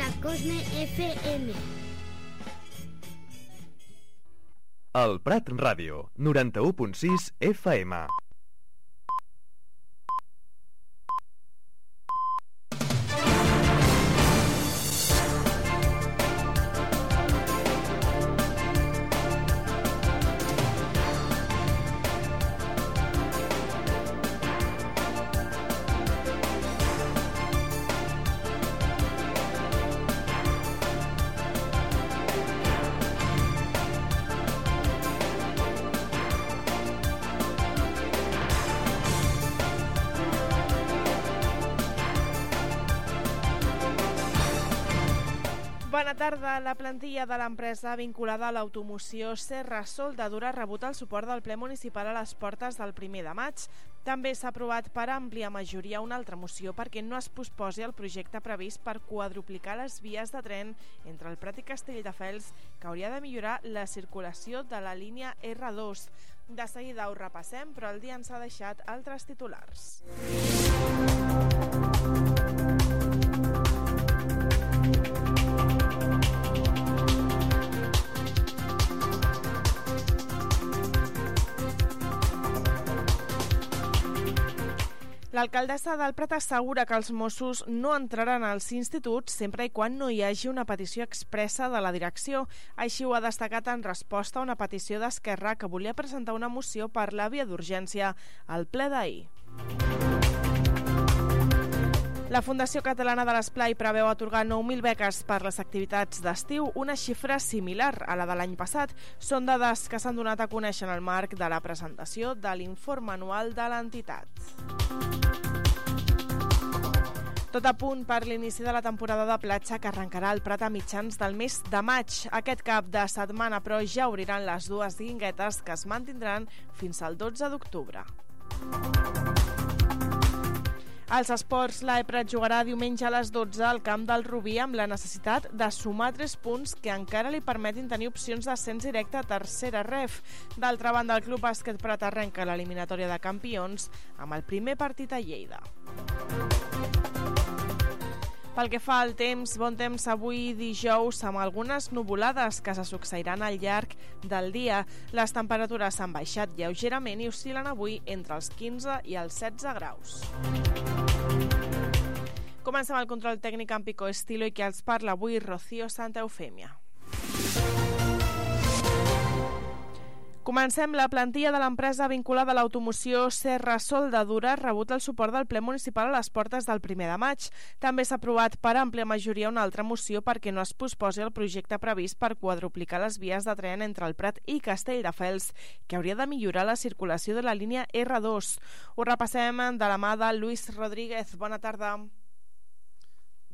la Cosme FM. El Prat Ràdio, 91.6 FM. Bona tarda. La plantilla de l'empresa vinculada a l'automoció Serra Soldadura ha rebut el suport del ple municipal a les portes del 1 de maig. També s'ha aprovat per àmplia majoria una altra moció perquè no es posposi el projecte previst per quadruplicar les vies de tren entre el Prat i Castelldefels, que hauria de millorar la circulació de la línia R2. De seguida ho repassem, però el dia ens ha deixat altres titulars. L'alcaldessa del Prat assegura que els Mossos no entraran als instituts sempre i quan no hi hagi una petició expressa de la direcció. Així ho ha destacat en resposta a una petició d'Esquerra que volia presentar una moció per la via d'urgència al ple d'ahir. La Fundació Catalana de l'Esplai preveu atorgar 9.000 beques per les activitats d'estiu, una xifra similar a la de l'any passat. Són dades que s'han donat a conèixer en el marc de la presentació de l'informe anual de l'entitat. Tot a punt per l'inici de la temporada de platja que arrencarà al Prat a mitjans del mes de maig. Aquest cap de setmana, però, ja obriran les dues guinguetes que es mantindran fins al 12 d'octubre. Als esports, l'Eprat jugarà diumenge a les 12 al camp del Rubí amb la necessitat de sumar 3 punts que encara li permetin tenir opcions d'ascens directe a tercera ref. D'altra banda, el Club Bàsquet Prat arrenca l'eliminatòria de campions amb el primer partit a Lleida. Pel que fa al temps, bon temps avui dijous amb algunes nuvolades que se succeiran al llarg del dia. Les temperatures han baixat lleugerament i oscil·len avui entre els 15 i els 16 graus. Comencem el control tècnic amb Pico Estilo i qui els parla avui, Rocío Santa Eufèmia. Comencem. La plantilla de l'empresa vinculada a l'automoció Serra Soldadura ha rebut el suport del ple municipal a les portes del 1 de maig. També s'ha aprovat per àmplia majoria una altra moció perquè no es posposi el projecte previst per quadruplicar les vies de tren entre el Prat i Castelldefels, que hauria de millorar la circulació de la línia R2. Ho repassem de la mà de Luis Rodríguez. Bona tarda.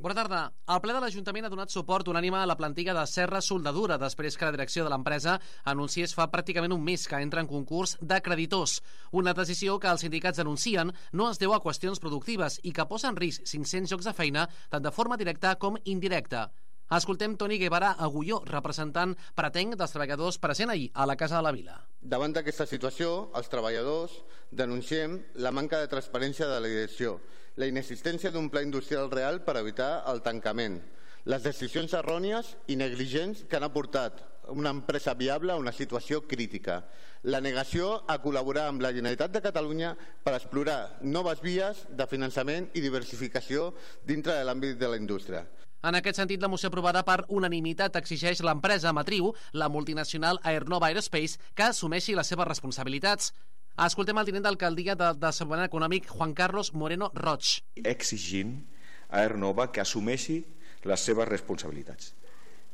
Bona tarda. El ple de l'Ajuntament ha donat suport unànime a la plantilla de Serra Soldadura després que la direcció de l'empresa anunciés fa pràcticament un mes que entra en concurs de creditors. Una decisió que els sindicats denuncien no es deu a qüestions productives i que posa en risc 500 llocs de feina tant de forma directa com indirecta. Escoltem Toni Guevara Agulló, representant pretenc dels treballadors present ahir a la Casa de la Vila. Davant d'aquesta situació, els treballadors denunciem la manca de transparència de la direcció, la inexistència d'un pla industrial real per evitar el tancament, les decisions errònies i negligents que han aportat una empresa viable a una situació crítica, la negació a col·laborar amb la Generalitat de Catalunya per explorar noves vies de finançament i diversificació dintre de l'àmbit de la indústria. En aquest sentit, la moció aprovada per unanimitat exigeix l'empresa matriu, la multinacional Aernova Aerospace, que assumeixi les seves responsabilitats. Escoltem el tinent d'alcaldia de Desenvolupament Econòmic, Juan Carlos Moreno Roig. Exigint a Aernova que assumeixi les seves responsabilitats.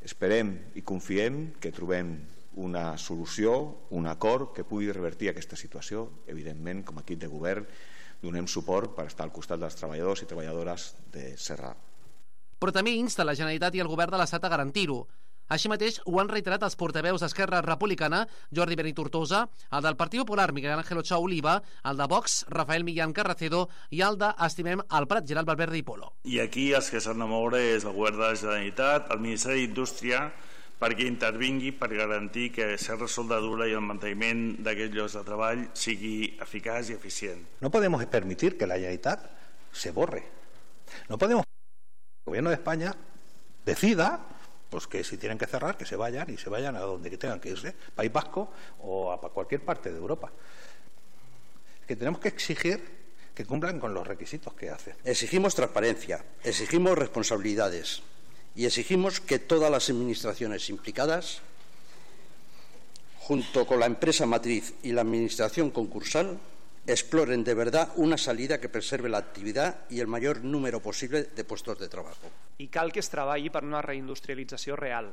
Esperem i confiem que trobem una solució, un acord que pugui revertir aquesta situació. Evidentment, com a equip de govern, donem suport per estar al costat dels treballadors i treballadores de Serra. Però també insta la Generalitat i el Govern de l'Estat a garantir-ho. Així mateix ho han reiterat els portaveus d'Esquerra Republicana, Jordi Benitortosa, el del Partit Popular, Miguel Ángel Ochoa Oliva, el de Vox, Rafael Millán Carracedo, i el de Estimem el Prat, Gerald Valverde i Polo. I aquí els que s'han de moure és el Govern de la Generalitat, el Ministeri d'Indústria, perquè intervingui per garantir que Serra Soldadura i el manteniment d'aquests llocs de treball sigui eficaç i eficient. No podemos permitir que la Generalitat se borre. No podemos el Gobierno de España decida pues que si tienen que cerrar, que se vayan y se vayan a donde tengan que irse, País Vasco o a cualquier parte de Europa. Que tenemos que exigir que cumplan con los requisitos que hacen. Exigimos transparencia, exigimos responsabilidades y exigimos que todas las administraciones implicadas, junto con la empresa matriz y la administración concursal, exploren de verdad una salida que preserve la actividad y el mayor número posible de puestos de trabajo. I cal que es treballi per una reindustrialització real,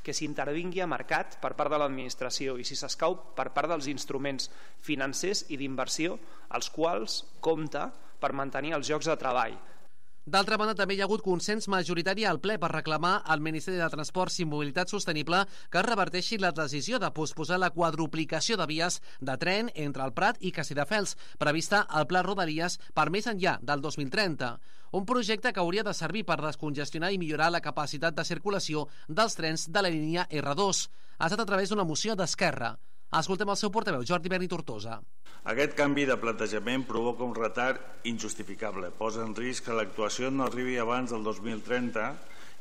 que s'intervingui a mercat per part de l'administració i, si s'escau, per part dels instruments financers i d'inversió als quals compta per mantenir els llocs de treball. D'altra banda, també hi ha hagut consens majoritari al ple per reclamar al Ministeri de Transports i Mobilitat Sostenible que es reverteixi la decisió de posposar la quadruplicació de vies de tren entre el Prat i Castelldefels, prevista al Pla Rodalies per més enllà del 2030. Un projecte que hauria de servir per descongestionar i millorar la capacitat de circulació dels trens de la línia R2. Ha estat a través d'una moció d'Esquerra. Escoltem el seu portaveu, Jordi Berni Tortosa. Aquest canvi de plantejament provoca un retard injustificable, posa en risc que l'actuació no arribi abans del 2030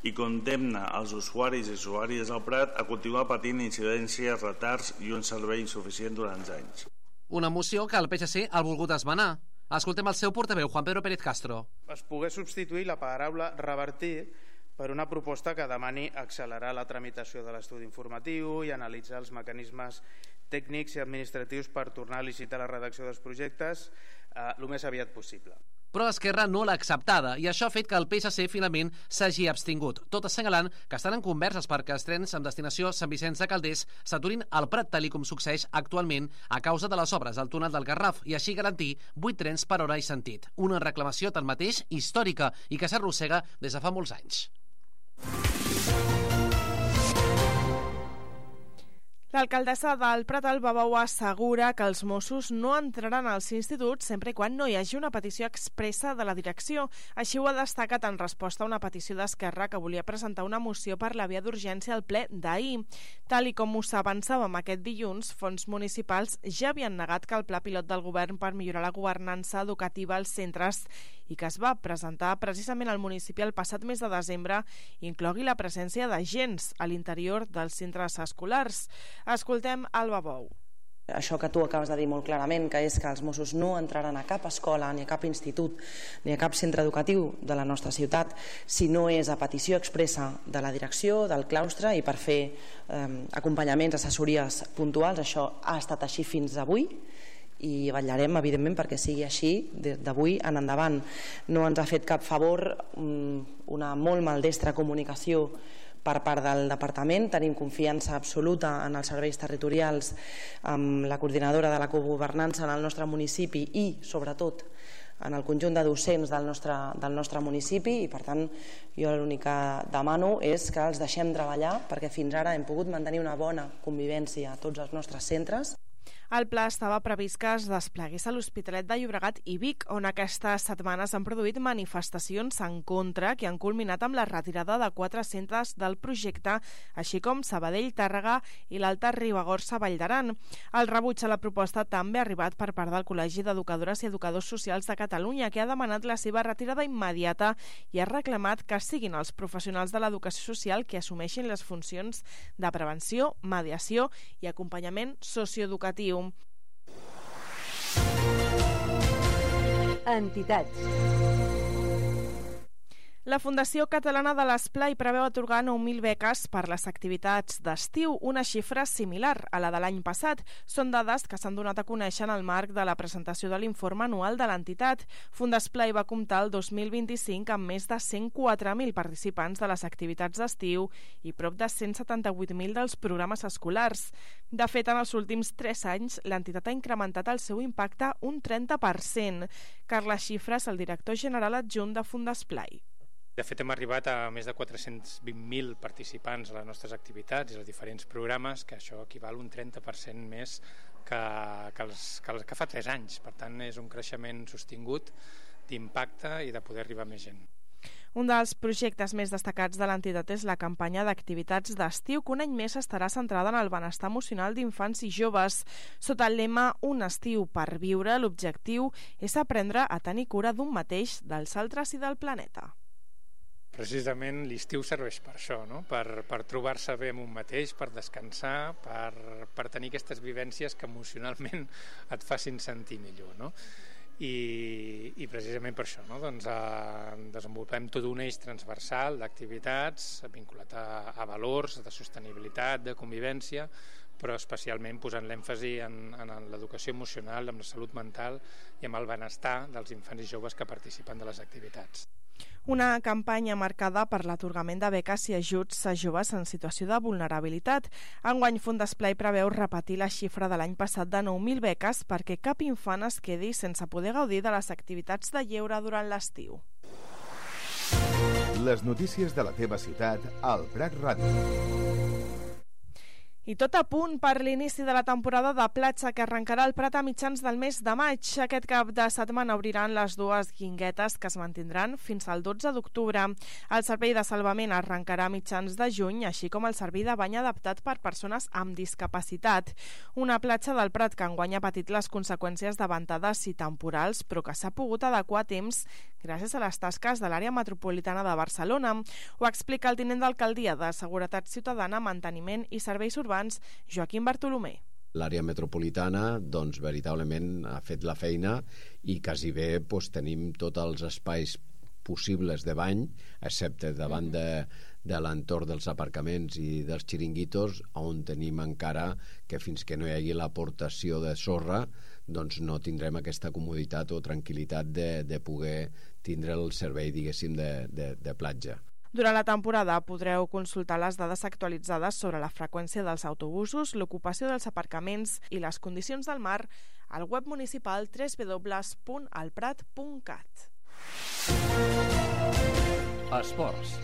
i condemna els usuaris i usuàries del Prat a continuar patint incidències, retards i un servei insuficient durant anys. Una moció que el PSC ha volgut esmenar. Escoltem el seu portaveu, Juan Pedro Pérez Castro. Es pogués substituir la paraula revertir per una proposta que demani accelerar la tramitació de l'estudi informatiu i analitzar els mecanismes tècnics i administratius per tornar a licitar la redacció dels projectes el més aviat possible. Però Esquerra no l'ha acceptada i això ha fet que el PSC finalment s'hagi abstingut, tot assenyalant que estan en converses perquè els trens amb destinació Sant Vicenç de Calders s'aturin al Prat, tal com succeeix actualment a causa de les obres al túnel del Garraf i així garantir 8 trens per hora i sentit. Una reclamació tanmateix històrica i que s'arrossega des de fa molts anys. L'alcaldessa del Prat al Babau assegura que els Mossos no entraran als instituts sempre quan no hi hagi una petició expressa de la direcció. Així ho ha destacat en resposta a una petició d'Esquerra que volia presentar una moció per la via d'urgència al ple d'ahir. Tal i com us avançàvem aquest dilluns, fons municipals ja havien negat que el pla pilot del govern per millorar la governança educativa als centres i que es va presentar precisament al municipi el passat mes de desembre inclogui la presència d'agents a l'interior dels centres escolars. Escoltem Alba Bou. Això que tu acabes de dir molt clarament, que és que els Mossos no entraran a cap escola, ni a cap institut, ni a cap centre educatiu de la nostra ciutat, si no és a petició expressa de la direcció, del claustre i per fer acompanyaments, assessories puntuals. Això ha estat així fins avui i vetllarem, evidentment, perquè sigui així d'avui en endavant. No ens ha fet cap favor una molt maldestra comunicació per part del departament. Tenim confiança absoluta en els serveis territorials, amb la coordinadora de la cogovernança en el nostre municipi i, sobretot, en el conjunt de docents del nostre municipi i, per tant, jo l'únic que demano és que els deixem treballar perquè fins ara hem pogut mantenir una bona convivència a tots els nostres centres. El pla estava previst que es desplegués a l'Hospitalet de Llobregat i Vic, on aquestes setmanes han produït manifestacions en contra que han culminat amb la retirada de 4 centres del projecte, així com Sabadell, Tàrrega i l'Alta Ribagorça Vall d'Aran. El rebuig a la proposta també ha arribat per part del Col·legi d'Educadores i Educadors Socials de Catalunya, que ha demanat la seva retirada immediata i ha reclamat que siguin els professionals de l'educació social que assumeixin les funcions de prevenció, mediació i acompanyament socioeducatiu. Entitats. La Fundació Catalana de l'Esplai preveu atorgar 9.000 beques per les activitats d'estiu, una xifra similar a la de l'any passat. Són dades que s'han donat a conèixer en el marc de la presentació de l'informe anual de l'entitat. Fundesplai va comptar el 2025 amb més de 104.000 participants de les activitats d'estiu i prop de 178.000 dels programes escolars. De fet, en els últims 3 anys, l'entitat ha incrementat el seu impacte un 30%. Carles Xifres, el director general adjunt de Fundesplai. De fet, hem arribat a més de 420.000 participants a les nostres activitats i als diferents programes, que això equival un 30% més que fa 3 anys. Per tant, és un creixement sostingut d'impacte i de poder arribar a més gent. Un dels projectes més destacats de l'entitat és la campanya d'activitats d'estiu, que un any més estarà centrada en el benestar emocional d'infants i joves. Sota el lema Un estiu per viure, l'objectiu és aprendre a tenir cura d'un mateix, dels altres i del planeta. precisament l'estiu serveix per això, no? Per trobar-se bé amb un mateix, per descansar, per tenir aquestes vivències que emocionalment et facin sentir millor, no? I precisament per això, no? Doncs, desenvolupem tot un eix transversal d'activitats vinculat a valors de sostenibilitat, de convivència, però especialment posant l'èmfasi en l'educació emocional, en la salut mental i en el benestar dels infants i joves que participen de les activitats. Una campanya marcada per l'atorgament de beques i ajuts a joves en situació de vulnerabilitat. Enguany, Fundesplai preveu repetir la xifra de l'any passat de 9.000 beques perquè cap infant es quedi sense poder gaudir de les activitats de lleure durant l'estiu. Les notícies de la teva ciutat al Prat Ràdio. I tot a punt per l'inici de la temporada de platja que arrencarà el Prat a mitjans del mes de maig. Aquest cap de setmana obriran les dues guinguetes que es mantindran fins al 12 d'octubre. El servei de salvament arrencarà a mitjans de juny, així com el servei de bany adaptat per persones amb discapacitat. Una platja del Prat que enguany ha patit les conseqüències de ventades i temporals, però que s'ha pogut adequar a temps gràcies a les tasques de l'àrea metropolitana de Barcelona. Ho explica el tinent d'alcaldia de Seguretat Ciutadana, Manteniment i Serveis Urbans, Joaquim Bartolomé. L'àrea metropolitana, doncs, veritablement ha fet la feina i quasi bé tenim tots els espais possibles de bany, excepte davant de l'entorn dels aparcaments i dels xiringuitos, on tenim encara que fins que no hi hagi l'aportació de sorra, doncs no tindrem aquesta comoditat o tranquil·litat de poder tindre el servei, diguéssim, de platja. Durant la temporada podreu consultar les dades actualitzades sobre la freqüència dels autobusos, l'ocupació dels aparcaments i les condicions del mar al web municipal www.alprat.cat. Esports.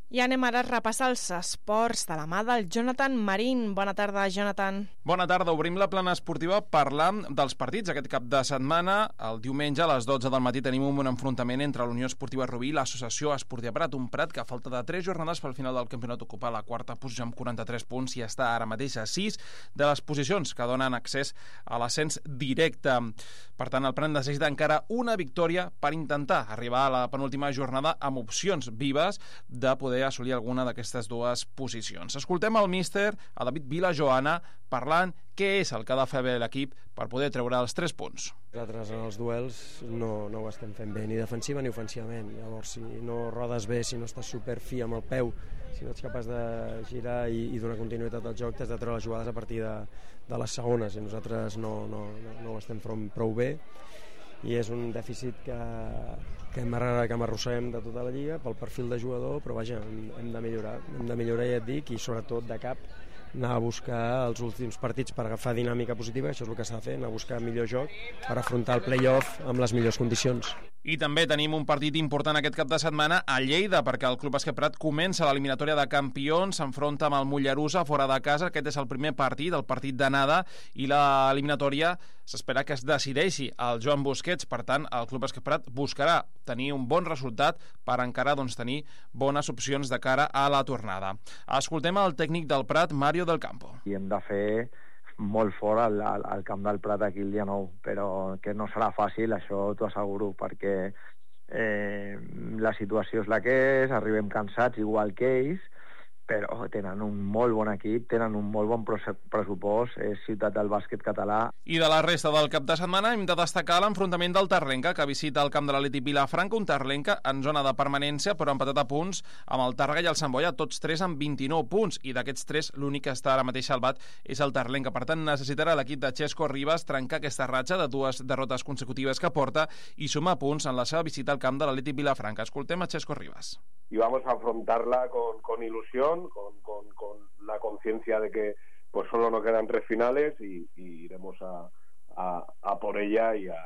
I anem ara a repassar els esports de la mà del Jonathan Marín. Bona tarda, Jonathan. Bona tarda. Obrim la plana esportiva parlant dels partits aquest cap de setmana. El diumenge a les 12 del matí tenim un enfrontament entre l'Unió Esportiva Rubí i l'Associació Esportiva Prat. Un Prat que a falta de 3 jornades pel final del campionat ocupa la quarta posició amb 43 punts i està ara mateix a 6 de les posicions que donen accés a l'ascens directe. Per tant, el Prat necessita encara una victòria per intentar arribar a la penúltima jornada amb opcions vives de poder assolir alguna d'aquestes dues posicions. Escoltem el míster, a David Vilajoana, parlant què és el que ha de fer bé l'equip per poder treure els 3 punts. Nosaltres en els duels no ho estem fent bé, ni defensiva ni ofensivament. Llavors, si no rodes bé, si no estàs superfi amb el peu, si no ets capaç de girar i donar continuïtat al joc, t'has de treure les jugades a partir de les segones, i nosaltres no ho estem fent prou bé, i és un dèficit que arrosseguem de tota la lliga pel perfil de jugador, però vaja, hem de millorar, ja et dic, i sobretot de cap anar a buscar els últims partits per agafar dinàmica positiva, això és el que s'ha de fer, anar a buscar millor joc per afrontar el play-off amb les millors condicions. I també tenim un partit important aquest cap de setmana a Lleida, perquè el Club Bàsquet Prat comença l'eliminatòria de campions, s'enfronta amb el Mollerussa fora de casa. Aquest és el primer partit, el partit d'anada, i l'eliminatòria s'espera que es decideixi al Joan Busquets. Per tant, el Club Bàsquet Prat buscarà tenir un bon resultat per encara tenir bones opcions de cara a la tornada. Escoltem el tècnic del Prat, Mario del Campo. I hem de fer molt fort al camp del Prat aquí el dia 9, però que no serà fàcil, això t'ho asseguro, perquè la situació és la que és, arribem cansats igual que ells, però tenen un molt bon equip, tenen un molt bon pressupost, és ciutat del bàsquet català. I de la resta del cap de setmana hem de destacar l'enfrontament del Tarlenca, que visita el camp de l'Atlètic Vilafranca, un Tarlenca en zona de permanència, però empatat a punts amb el Tàrrega i el Sant Boia, tots 3 amb 29 punts, i d'aquests 3 l'únic que està ara mateix salvat és el Tarlenca. Per tant, necessitarà l'equip de Xesco Ribas trencar aquesta ratxa de 2 derrotes consecutives que porta i sumar punts en la seva visita al camp de l'Atlètic Vilafranca. Escoltem a Xesco Ribas. Y vamos a afrontarla con ilusión, con la conciencia de que pues solo nos quedan 3 finales y iremos a por ella y a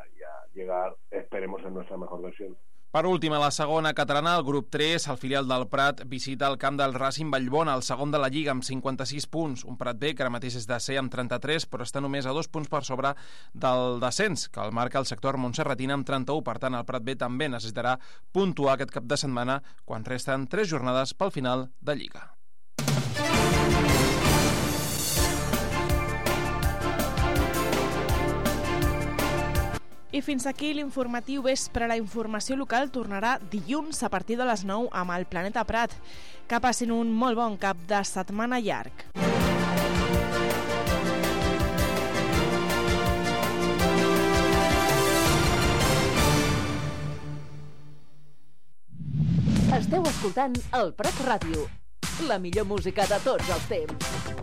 llegar, esperemos, en nuestra mejor versión. Per últim, a la segona catalana, el grup 3, el filial del Prat, visita el camp del Racing Vallbona, el segon de la Lliga, amb 56 punts. Un Prat B, que ara mateix és desè amb 33, però està només a 2 punts per sobre del descens, que el marca el sector montserratina amb 31. Per tant, el Prat B també necessitarà puntuar aquest cap de setmana quan resten 3 jornades pel final de Lliga. I fins aquí l'informatiu vespre. La informació local tornarà dilluns a partir de les 9 amb el Planeta Prat. Que passin un molt bon cap de setmana llarg. Esteu escoltant el Prat Ràdio, la millor música de tots els temps.